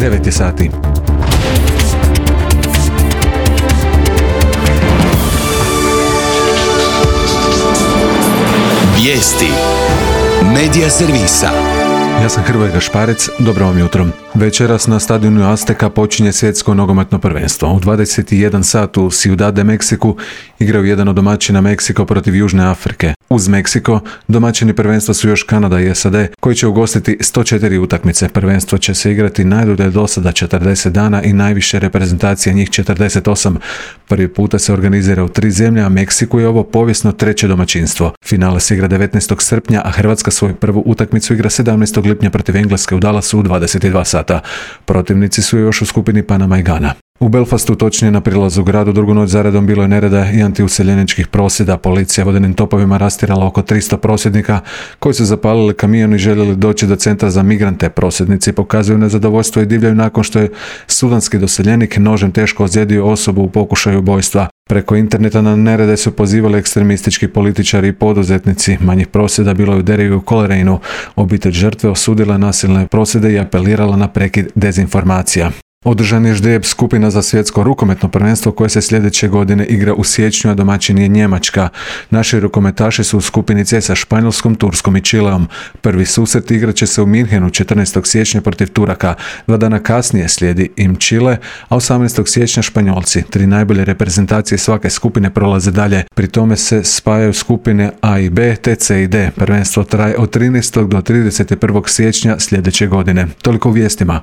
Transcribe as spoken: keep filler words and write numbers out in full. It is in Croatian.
devet je sati. Vijesti Medija servisa. Ja sam Hrvoje Gašparec, dobro vam jutro. Večeras na stadionu Azteka počinje svjetsko nogometno prvenstvo. U dvadeset jedan sat u Ciudad de Mexiku igraju jedan od domaćina Meksiko protiv Južne Afrike. Uz Meksiko, domaćini prvenstva su još Kanada i S A D, koji će ugostiti sto četiri utakmice. Prvenstvo će se igrati najdulje do sada četrdeset dana i najviše reprezentacija, njih četrdeset osam. Prvi puta se organizira u tri zemlje, a Meksiku je ovo povijesno treće domaćinstvo. Finale se igra devetnaestog srpnja, a Hrvatska svoju prvu utakmicu igra sedamnaestog lipnja protiv Engleske u Dallasu u dvadeset dva sata. Protivnici su još u skupini Panama i Gana. U Belfastu, točnije na prilazu gradu, drugu noć zaredom bilo je nereda i antiuseljeničkih prosvjeda. Policija vodenim topovima rastjerala oko tristo prosvjednika koji su zapalili kamion i željeli doći do centra za migrante. Prosvjednici pokazuju nezadovoljstvo i divljaju nakon što je sudanski doseljenik nožem teško ozlijedio osobu u pokušaju ubojstva. Preko interneta na nerede su pozivali ekstremistički političari i poduzetnici. Manjih prosvjeda bilo je u Deriju i Coleraineu. Obitelj žrtve osudila nasilne prosvjede i apelirala na prekid dezinformacija. Održan je ždrijeb skupina za svjetsko rukometno prvenstvo koje se sljedeće godine igra u siječnju, a domaćin je Njemačka. Naši rukometaši su u skupini C sa Španjolskom, Turskom i Čileom. Prvi susret igrat će se u Minhenu četrnaestog siječnja protiv Turaka. Dva dana kasnije slijedi im Čile, a osamnaestog siječnja Španjolci. Tri najbolje reprezentacije svake skupine prolaze dalje. Pri tome se spajaju skupine A i B te C i D. Prvenstvo traje od trinaestog do trideset prvog siječnja sljedeće godine. Toliko u vijestima.